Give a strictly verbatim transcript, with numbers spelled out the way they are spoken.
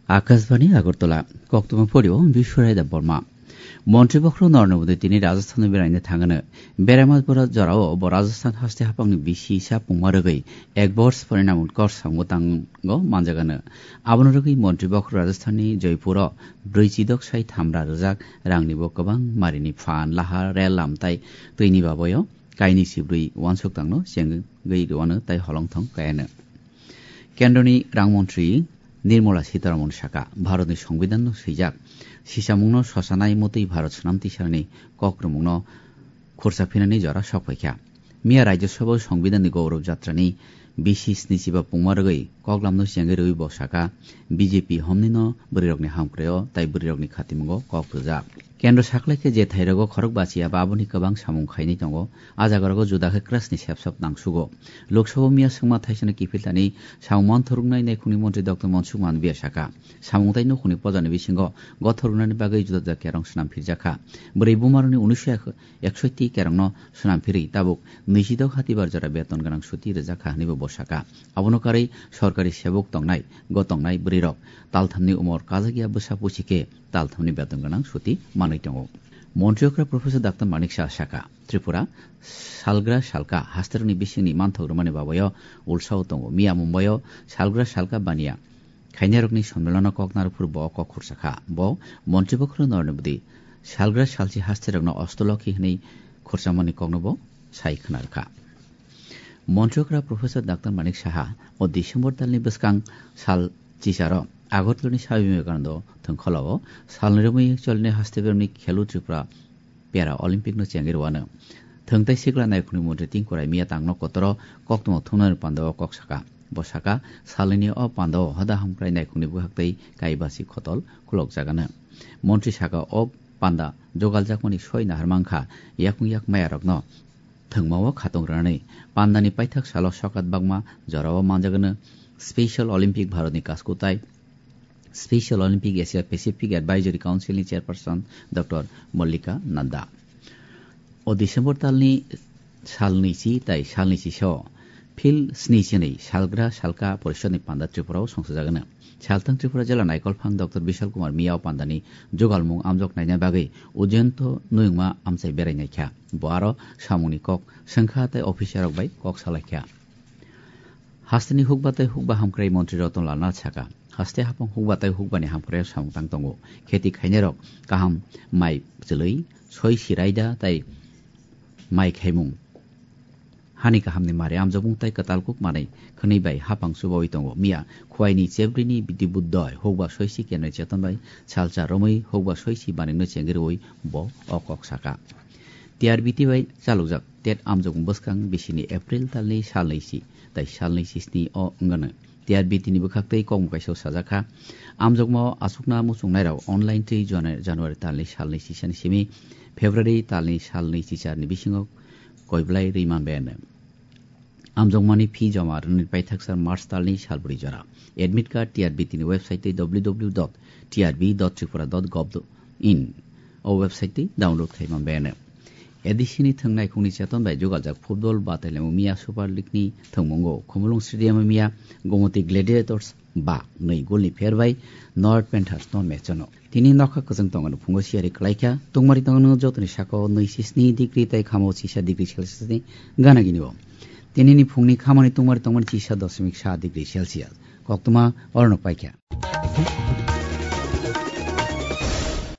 Akashbani Agartala, koktwma phorio Biswarai Debbarma. Montri bokhorok Narendra Modi tini Rajasthan-o beraina thangano. Beraima bwrwi jorao bo Rajasthan haste haphangni bisi sa pungma rwgwi ek bors pore namun kor samung tango manjagano. Abono rwgwi montri bokhorok Rajasthanni Jaipuro brwi chidok sai thamra rwjak rangnibo kwbang marini phan, lahar, rel lam tai twini baboyo kaini sibrwi uansuk tangno chengwi rwano tai holongthong kayano. Kendroni Rang Montri Nirmala Sitharaman saka, Bharatni Songbidanno swijak, sisamungno sosanai motwi Bharat swnam tisarni kokrwmungno khursa phinani jora sok phaikha. Miya Rajya Sabha Songbidanni Gaurav Jatrani bisi snichiba pungma rwgwi koklamno chengwi rwui bo saka, B J P homnino bwrwirokni hamkrai-o tai bwrwirokni khatimungo kok rwjak. Kendro saklaikhe je thairogo khorok bachi aba aboni kwbang samung khainai tongo, a jagarogo juda khe krasni sepsop nangsugo. Lok Sabha miya swngma thaisano kiphiltani samung manthoroknai naikhungni montri Doctor Mansukh Mandaviya saka, samung tai nukhungni pojani bisingo gothoroknani bagwi juda juda kerong swnam phirjakha. Bwrwi bumarokni unisho eksoiti kerongno swnam phirwi tabuk nwisidok hatibar jora beton gwnang suti rwjakha hwnwibo bo saka. Abono karwi sorkari sebok tongnai, go tongnai bwrwirok talthamni umor kajakya bwsa pusi khe talthamni beton gwnang suti manwi tongo. Montri okra Professor Doctor Manik Saha saka, Tripura salgra salka hasterokni bisingni manthok rwmani babayo ulsao tongo. Miya Mumbaio salgra salka baniya khainarokni sommelano kok narwphuru bo kok khursa kha. Bo montri bokhorok Narendra Modi salgra salchi hasterokno Ostolokhi hwnwi khursamani kokno bo sai khna rwkha. Montri okra Professor Doctor Manik Saha o December talni bwskang sal chicharo Agartalani Swami Vivekananda thwngkhwlao salni romwi cholni haste bermni Khelo Tripura Para Olympic no chengwi rwano. Thwngtai sikla naikhungni montri Tinku Roy miya tangno kotoro koktwma thumnani pandao kok saka. Bo saka, salnini o pandao hoda hamkrai naikhungni bwkhak tei kaibasi khotol khulokjagano. Montri saka o panda jogaljakmani soi nahar mankha yakung yak mayarokno thwngmao khatung rwnani. Pandani paithak salo sokat bakma jorao manjagano Special Olympic Bharatni kaskutai Special Olympic Asia Pacific Advisory Council ni Chairperson Doctor Mallika Nanda. O December talni salni chi tai salni chi so phil sni chinwi salgra salka porishod ni panda Tripura o songsajagano. Salthang Tripura jela naikolphang Doctor Bishal Kumar Miya o pandani jugalmung amjok naina bagwi Ujjayanta nuyungma amchai berai naikha. Bo aro samungni kok swngkha tai officer rok bai kok salaikha. Hasteni hukba tei hukba hamkrai montri Ratan Lal Nath saka, haste hapang hukba tei hukbani hamkrai samung tang tongo. Kheti khainairok kaham mai chwlwi, soi sirai da tai mai khaimung. Hani kahamni mari amjokmung tai kwtal kuk manwi khwnwi bai hapang chubawi tongo. Miya Khwaini Chebrini Bidi Buddhoi hukba soisi kenwi cheton bai salcha romwi hukba soisi baningno chengirwi bo o kok saka. T R B T bai chalokjak tet amjokmung bwskang bisini April talni salnwi si tai salnwi si sni o wngano. T R B T ni bwkhak tei kokmung kaisa sajakha. Amjokmao achukna muchungnairok online twi Janu-, January talni salnwi sisani simi February talni salnwi sicharni bisingo koiblai rwi manbaiano. Amjokmani phi joma rwnani paithaksa March talni salbri jora. Admit card T R B T ni website tei W W W dot T R B dot tripura dot gov dot in o website tei download khai manbaiano. A D C ni thwng naikhungni cheton bai jugaljak football batailaimung miya Super League ni thwngmungo Khumulwng Stadium o miya Gomoti Gladiators ba nwi goal ni pher bai North Panthers no match no. Tini nokha kwchwng tongmani phungo siyari kwlaikha, tungmari tongmani jotoni sakao nwi si sni degree tai khamo chisa degree Celsius ni gana gini o. Tinini phungni khamani tungmari tongmani chisa doshmik sa degree Celsius. Koktwma orono paikha.